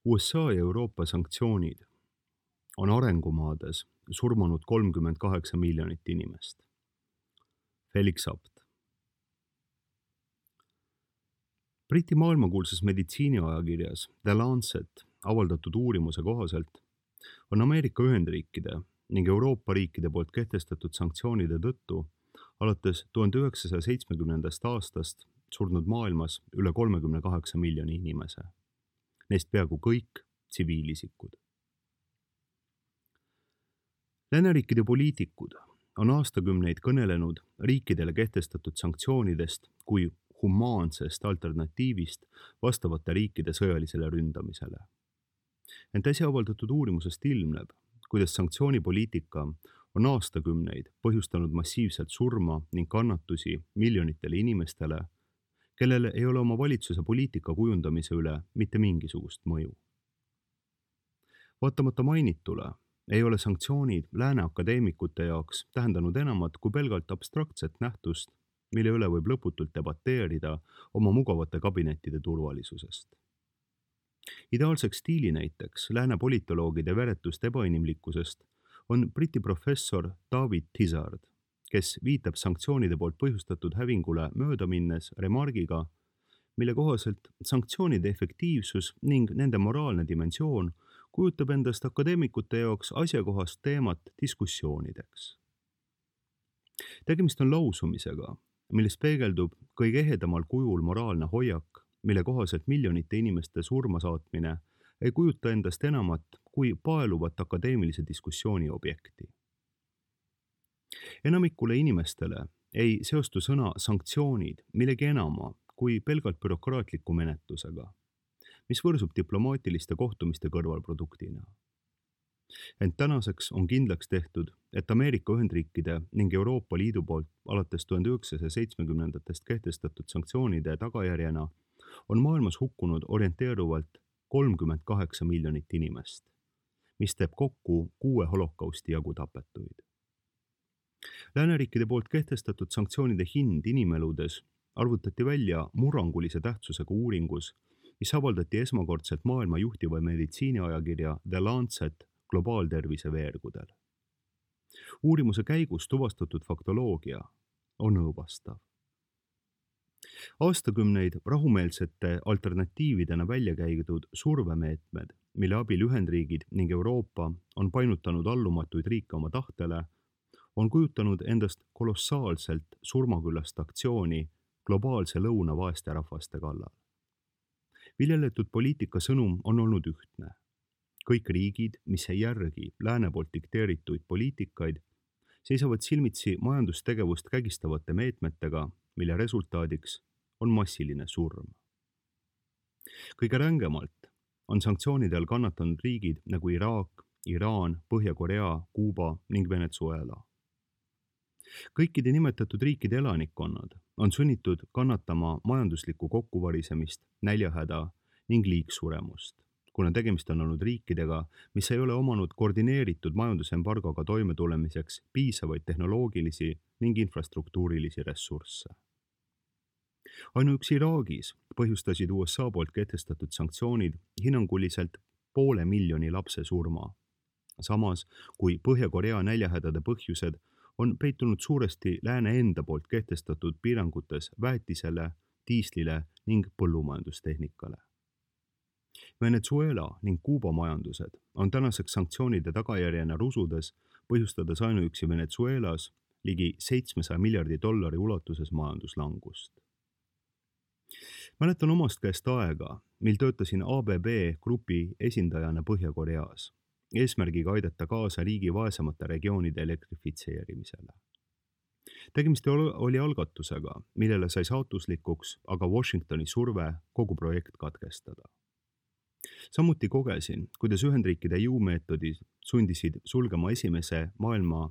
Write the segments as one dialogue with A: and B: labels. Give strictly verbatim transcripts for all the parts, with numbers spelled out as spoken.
A: U S A ja Euroopa sanktsioonid on arengumaades surmanud kolmkümmend kaheksa miljonit inimest. Felix Abt. Briti maailmakuulsas meditsiiniajakirjas The Lancet avaldatud uurimuse kohaselt on Ameerika Ühendriikide ning Euroopa riikide poolt kehtestatud sanktsioonide tõttu alates tuhande üheksasaja seitsmekümnendast aastast surnud maailmas üle kolmekümne kaheksa miljoni inimese. Neist peaaegu kõik tsiviilisikud. Lääneriikide poliitikud on aastakümneid kõnelenud riikidele kehtestatud sanktsioonidest kui humaansest alternatiivist vastavate riikide sõjalisele ründamisele. Ent äsja avaldatud uurimusest ilmneb, kuidas sanktsioonipoliitika on aastakümneid põhjustanud massiivselt surma ning kannatusi miljonitele inimestele, kellel ei ole oma valitsuse poliitika kujundamise üle mitte mingisugust mõju. Vaatamata mainitule ei ole sanktsioonid lääne akadeemikute jaoks tähendanud enamat kui pelgalt abstraktset nähtust, mille üle võib lõputult debateerida oma mugavate kabinettide turvalisusest. Ideaalseks stiilinäiteks lääne politoloogide veretust ebainimlikkusest on Briti professor David Tizard, kes viitab sanktsioonide poolt põhjustatud hävingule mööda minnes remargiga, mille kohaselt sanktsioonide efektiivsus ning nende moraalne dimensioon kujutab endast akadeemikute jaoks asjakohast teemat diskussioonideks. Tegemist on lausumisega, milles peegeldub kõige ehedamal kujul moraalne hoiak, mille kohaselt miljonite inimeste surma saatmine ei kujuta endast enamat kui paeluvat akadeemilise diskussiooni objekti. Enamikule inimestele ei seostu sõna sanktsioonid millegi enama kui pelgalt bürokraatliku menetlusega, mis võrsub diplomaatiliste kohtumiste kõrvalproduktina. Ent tänaseks on kindlaks tehtud, et Ameerika Ühendriikide ning Euroopa Liidu poolt alates tuhande üheksasaja seitsmekümnendatest kehtestatud sanktsioonide tagajärjena on maailmas hukkunud orienteeruvalt kolmkümmend kaheksa miljonit inimest, mis teeb kokku kuue holokausti jagu tapetuid. Lääneriikide poolt kehtestatud sanktsioonide hind inimeludes arvutati välja murrangulise tähtsusega uuringus, mis avaldati esmakordselt maailma juhtiva meditsiiniajakirja The Lancet globaaltervise veergudel. Uurimuse käigus tuvastatud faktoloogia on õõvastav. Aastakümneid rahumeelsete alternatiividena välja käidud survemeetmed, mille abil Ühendriigid ning Euroopa on painutanud allumatuid riike oma tahtele, on kujutanud endast kolossaalselt surmaküllast aktsiooni globaalse lõuna vaeste rahvaste kallal. Viljeletud poliitika sõnum on olnud ühtne. Kõik riigid, mis ei järgi lääne poolt dikteerituid poliitikaid, seisavad silmitsi majandustegevust kägistavate meetmetega, mille resultaadiks on massiline surm. Kõige rängemalt on sanktsioonide all kannatanud riigid nagu Iraak, Iraan, Põhja-Korea, Kuuba ning Venezuela. Kõikide nimetatud riikide elanikkonnad on sunnitud kannatama majanduslikku kokkuvarisemist, näljahäda ning liigsuremust, kuna tegemist on olnud riikidega, mis ei ole omanud koordineeritud majandusembargoga toimetulemiseks piisavaid tehnoloogilisi ning infrastruktuurilisi ressursse. Ainuüksi Iraagis põhjustasid U S A poolt kehtestatud sanktsioonid hinnanguliselt poole miljoni lapse surma, samas kui Põhja-Korea näljahädade põhjused on peitunud suuresti lääne enda poolt kehtestatud piirangutes väetisele, diislile ning põllumajandustehnikale. Venezuela ning Kuuba majandused on tänaseks sanktsioonide tagajärjena rusudes, põhjustades ainuüksi Venezuelas ligi seitsmesaja miljardi dollari ulatuses majanduslangust. Mäletan omast käest aega, mil töötasin A B B grupi esindajana Põhja-Koreas, eesmärgiga aidata kaasa riigi vaesemate regioonide elektrifitseerimisele. Tegemist oli algatusega, millele sai saatuslikuks aga Washingtoni surve kogu projekt katkestada. Samuti kogesin, kuidas Ühendriikide jõumeetodid sundisid sulgema esimese maailma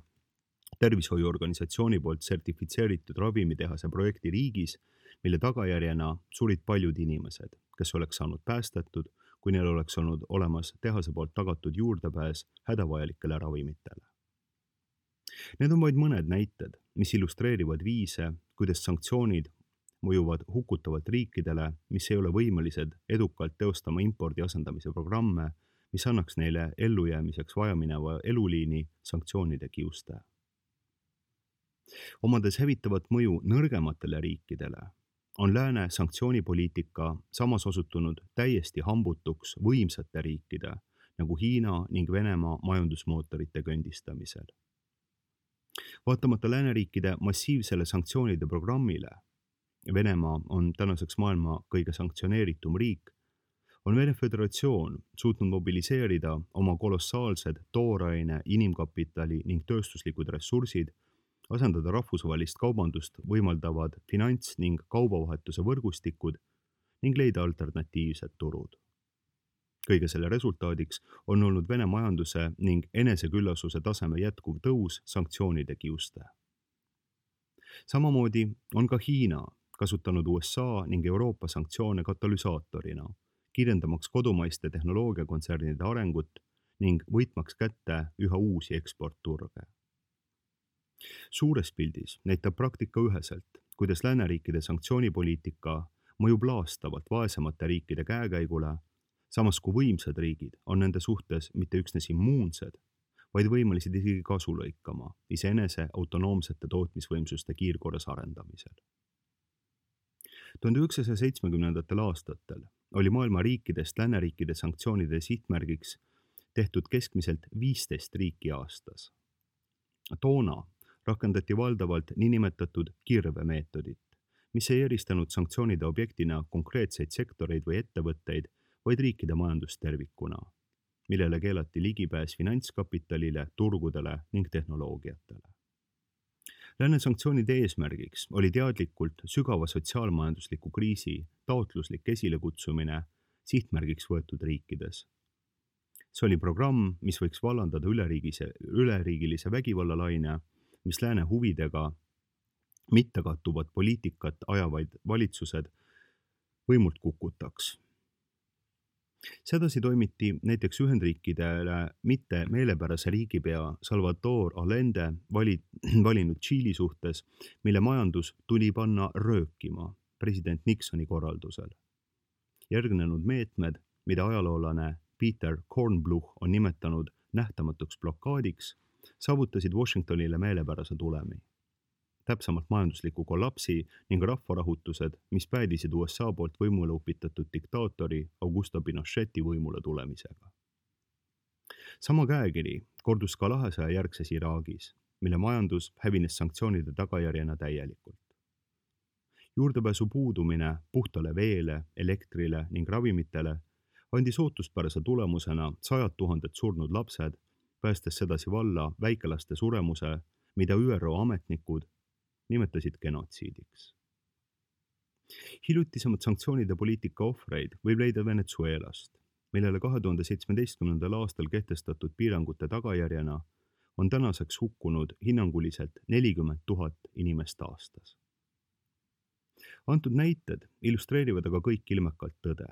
A: tervishoiuorganisatsiooni poolt sertifitseeritud ravimitehase projekti riigis, mille tagajärjena surid paljud inimesed, kes oleks saanud päästetud, kui neil oleks olnud olemas tehase poolt tagatud juurdepääs hädavajalikele ravimitele. Need on vaid mõned näited, mis illustreerivad viise, kuidas sanktsioonid mõjuvad hukutavalt riikidele, mis ei ole võimelised edukalt teostama impordi asendamise programme, mis annaks neile ellujäämiseks vajamineva eluliini sanktsioonide kiuste. Omades hävitavat mõju nõrgematele riikidele, on lääne sanktsioonipoliitika samas osutunud täiesti hambutuks võimsate riikide nagu Hiina ning Venemaa majandusmootorite kõndistamisel. Vaatamata lääneriikide massiivsele sanktsioonide programmile, Venemaa on tänaseks maailma kõige sanktsioneeritum riik, on Vene Föderatsioon suutnud mobiliseerida oma kolossaalsed tooraine, inimkapitali ning tööstuslikud ressursid, asendada rahvusvahelist kaubandust võimaldavad finants- ning kaubavahetuse võrgustikud ning leida alternatiivsed turud. Kõige selle resultaadiks on olnud Vene majanduse ning eneseküllasuse taseme jätkuv tõus sanktsioonide kiuste. Samamoodi on ka Hiina kasutanud U S A ning Euroopa sanktsioone katalüsaatorina, kiirendamaks kodumaiste tehnoloogiakontsernide arengut ning võitmaks kätte üha uusi eksportturge. Suures pildis näitab praktika üheselt, kuidas lääneriikide sanktsioonipoliitika mõjub laastavalt vaesemate riikide käekäigule, samas kui võimsad riigid on nende suhtes mitte üksnes immuunsed, vaid võimelised isegi kasu lõikama iseenese autonoomsete tootmisvõimsuste kiirkorras arendamisel. tuhande üheksasaja seitsmekümnendatel aastatel oli maailma riikidest lääneriikide sanktsioonide sihtmärgiks tehtud keskmiselt viisteist riiki aastas. Toona rakendati valdavalt niinimetatud kirvemeetodit, mis ei eristanud sanktsioonide objektina konkreetseid sektoreid või ettevõtteid, vaid riikide majandust tervikuna, millele keelati ligipääs finantskapitalile, turgudele ning tehnoloogiatele. Lääne sanktsioonide eesmärgiks oli teadlikult sügava sotsiaalmajandusliku kriisi taotluslik esilekutsumine sihtmärgiks võetud riikides. See oli programm, mis võiks vallandada üleriigise, üleriigilise vägivallalaine, mis lääne huvidega mitte kattuvad poliitikat ajavaid valitsused võimult kukutaks. Sedasi toimiti näiteks Ühendriikidele mitte meelepärase riigipea Salvador Allende vali, valinud Tšiili suhtes, mille majandus tuli panna röökima president Nixoni korraldusel. Järgnenud meetmed, mida ajaloolane Peter Kornbluh on nimetanud nähtamatuks blokaadiks, saavutasid Washingtonile meelepärase tulemi. Täpsemalt majandusliku kollapsi ning rahvarahutused, mis päädisid U S A poolt võimule upitatud diktaatori Augusto Pinocheti võimule tulemisega. Sama käekiri kordus ka lahesaja järgses Iraagis, mille majandus hävines sanktsioonide tagajärjena täielikult. Juurdepääsu puudumine puhtale veele, elektrile ning ravimitele andis ootuspärase tulemusena sajad tuhanded surnud lapsed, päästes sedasi valla väikelaste suremuse, mida Ü R O ametnikud nimetasid genotsiidiks. Hiljutisemad sanktsioonide poliitika ohvreid võib leida Venezuelast, millele kahe tuhande seitsmeteistkümnendal aastal kehtestatud piirangute tagajärjena on tänaseks hukkunud hinnanguliselt nelikümmend tuhat inimest aastas. Antud näited illustreerivad aga kõik ilmekalt tõde.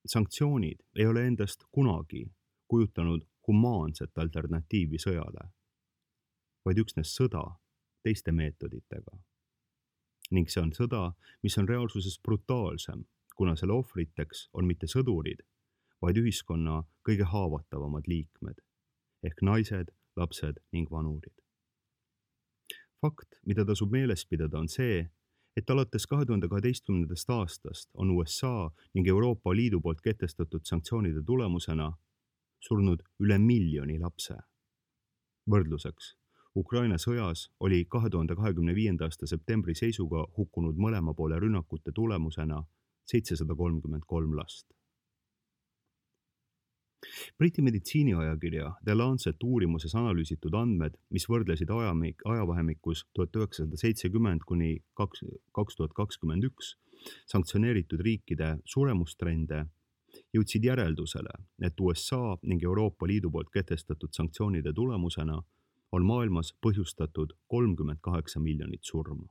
A: Sanktsioonid ei ole endast kunagi kujutanud humaanset alternatiivi sõjale, vaid üksnes sõda teiste meetoditega. Ning see on sõda, mis on reaalsuses brutaalsem, kuna selle ohvriteks on mitte sõdurid, vaid ühiskonna kõige haavatavamad liikmed, ehk naised, lapsed ning vanurid. Fakt, mida tasub meeles pidada, on see, et alates kahe tuhande kaheteistkümnendast aastast on U S A ning Euroopa Liidu poolt kehtestatud sanktsioonide tulemusena surnud üle miljoni lapse. Võrdluseks, Ukraina sõjas oli kahe tuhande kahekümne viienda aasta septembri seisuga hukkunud mõlema poole rünnakute tulemusena seitsesada kolmkümmend kolm last. Briti meditsiiniajakirja The Lancet uurimuses analüüsitud andmed, mis võrdlesid ajamik, ajavahemikus tuhat üheksasada seitsekümmend kuni kaks tuhat kakskümmend üks sanktsioneeritud riikide suremustrende, jõudsid järeldusele, et U S A ning Euroopa Liidu poolt kehtestatud sanktsioonide tulemusena on maailmas põhjustatud kolmkümmend kaheksa miljonit surma.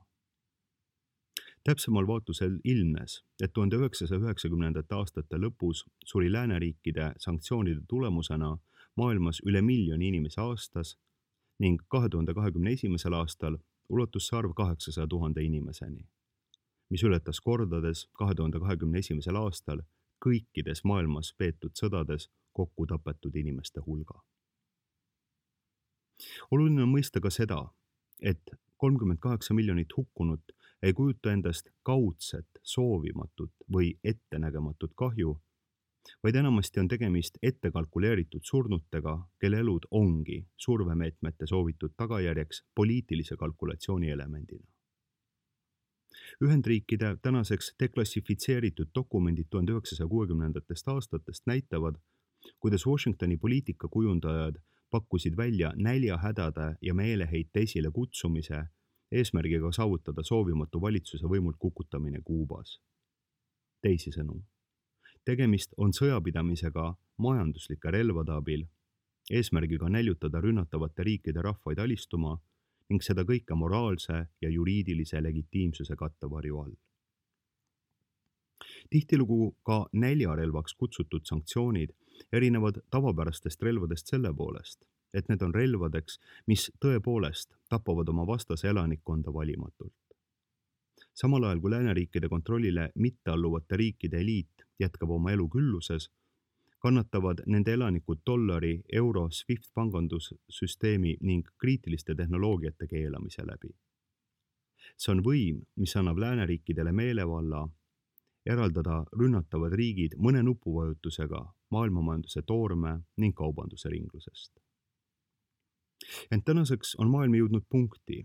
A: Täpsemal vaatlusel ilmnes, et tuhande üheksasaja üheksakümnendate aastate lõpus suri lääneriikide sanktsioonide tulemusena maailmas üle miljoni inimese aastas ning kahe tuhande kahekümne esimesel aastal ulatus see arv kaheksasaja tuhande inimeseni, mis ületas kordades kahe tuhande kahekümne esimesel aastal kõikides maailmas peetud sõdades kokku tapetud inimeste hulga. Oluline on mõista ka seda, et kolmkümmend kaheksa miljonit hukkunut ei kujuta endast kaudset, soovimatut või ettenägematut kahju, vaid enamasti on tegemist ettekalkuleeritud surnutega, kelle elud ongi survemeetmete soovitud tagajärjeks poliitilise kalkulatsiooni elemendina. Ühendriikide tänaseks deklassifitseeritud dokumendid tuhande üheksasaja kuuekümnendatest aastatest näitavad, kuidas Washingtoni poliitikakujundajad pakkusid välja näljahädade ja meeleheite esile kutsumise eesmärgiga saavutada soovimatu valitsuse võimult kukutamine Kuubas. Teisisõnu, tegemist on sõjapidamisega majanduslike relvade abil, eesmärgiga näljutada rünnatavate riikide rahvaid alistuma ning seda kõike moraalse ja juriidilise legitiimsuse kattevarju all. Tihtilugu ka näljarelvaks kutsutud sanktsioonid erinevad tavapärastest relvadest selle poolest, et need on relvadeks, mis tõepoolest tapavad oma vastase elanikkonda valimatult. Samal ajal kui lääneriikide kontrollile mittealluvate riikide eliit jätkab oma elu külluses, kannatavad nende elanikud dollari, euro, SWIFT pangandussüsteemi ning kriitiliste tehnoloogiate keelamise läbi. See on võim, mis annab lääneriikidele meelevalla eraldada rünnatavad riigid mõne nupuvajutusega maailmamajanduse toorme ning kaubanduse ringlusest. Ent tänaseks on maailm jõudnud punkti,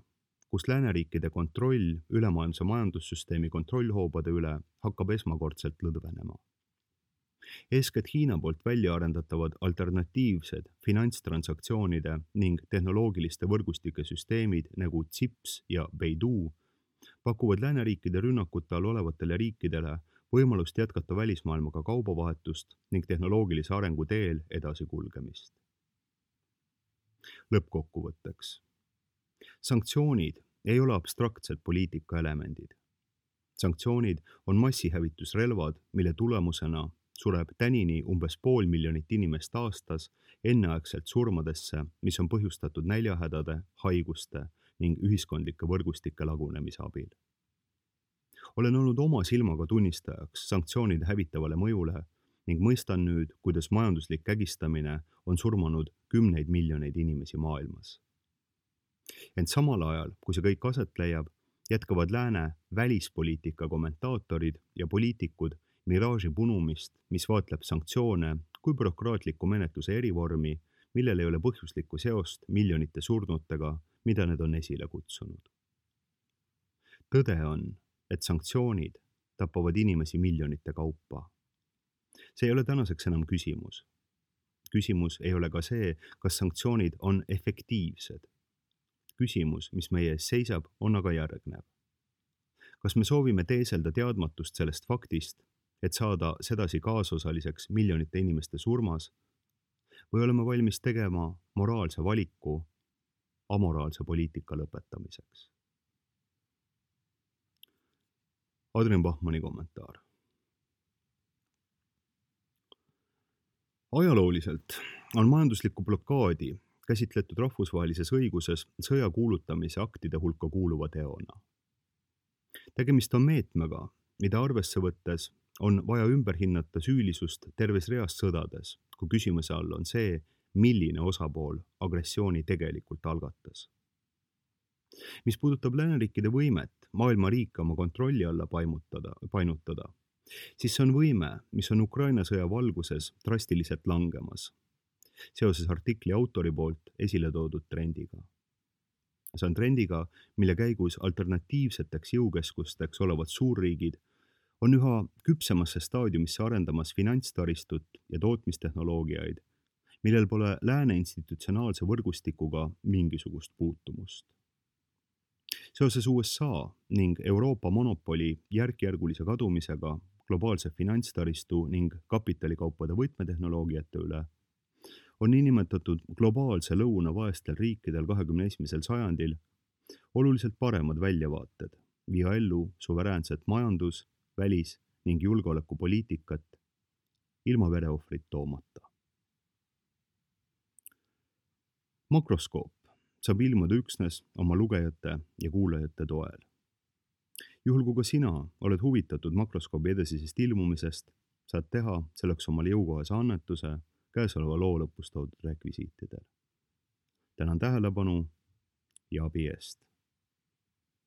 A: kus lääneriikide kontroll ülemaailmse majandussüsteemi kontrollhoobade üle hakkab esmakordselt lõdvenema. Eeskätt Hiina poolt välja arendatavad alternatiivsed finantstransaktsioonide ning tehnoloogiliste võrgustike süsteemid nagu C I P S ja Beidou pakuvad lääneriikide rünnakute all olevatele riikidele võimalust jätkata välismaailmaga kaubavahetust ning tehnoloogilise arengu teel edasikulgemist. Lõppkokkuvõtteks. Sanktsioonid ei ole abstraktsed poliitika elemendid. Sanktsioonid on massihävitusrelvad, mille tulemusena sureb tänini umbes pool miljonit inimest aastas enneaegselt surmadesse, mis on põhjustatud näljahädade, haiguste ning ühiskondlike võrgustike lagunemise abil. Olen olnud oma silmaga tunnistajaks sanktsioonide hävitavale mõjule ning mõistan nüüd, kuidas majanduslik kägistamine on surmanud kümneid miljoneid inimesi maailmas. Ent samal ajal, kui see kõik aset leiab, jätkavad lääne välispoliitika kommentaatorid ja poliitikud miraaži punumist, mis vaatleb sanktsioone kui bürokraatliku menetluse erivormi, millel ei ole põhjuslikku seost miljonite surnutega, mida need on esile kutsunud. Tõde on, et sanktsioonid tapavad inimesi miljonite kaupa. See ei ole tänaseks enam küsimus. Küsimus ei ole ka see, kas sanktsioonid on efektiivsed. Küsimus, mis meie ees seisab, on aga järgnev. Kas me soovime teeselda teadmatust sellest faktist, et saada sedasi kaasosaliseks miljonite inimeste surmas, või oleme valmis tegema moraalse valiku amoraalse poliitika lõpetamiseks? Adrian Bachmanni kommentaar. Ajalooliselt on majanduslikku blokaadi käsitletud rahvusvahelises õiguses sõja kuulutamise aktide hulka kuuluva teona. Tegemist on meetmega, mida arvesse võttes on vaja ümber hinnata süülisust terves reas sõdades, kui küsimuse all on see, milline osapool agressiooni tegelikult algatas. Mis puudutab lääneriikide võimet maailma riike oma kontrolli alla paimutada, painutada, siis see on võime, mis on Ukraina sõja valguses drastiliselt langemas, seoses artikli autori poolt esile toodud trendiga. See on trendiga, mille käigus alternatiivseteks jõukeskusteks olevad suurriigid on üha küpsemasse staadiumisse arendamas finantstaristut ja tootmistehnoloogiaid, millel pole lääne institutsionaalse võrgustikuga mingisugust puutumust. Seoses U S A ning Euroopa monopoli järk-järgulise kadumisega globaalse finantstaristu ning kapitalikaupade võtmetehnoloogiate üle on niinimetatud globaalse lõuna vaestel riikidel kahekümne esimesel sajandil oluliselt paremad väljavaated viia ellu suveräänset majandus-, välis- ning julgeolekupoliitikat ilma vereohvrit toomata. Makroskoop saab ilmuda üksnes oma lugejate ja kuulajate toel. juhul kui ka sina oled huvitatud makroskoobi edasisest ilmumisest, saad teha selleks omale jõukohase annetuse käesoleva loo lõpus toodud rekvisiitidel. Tänan tähelepanu ja abi eest!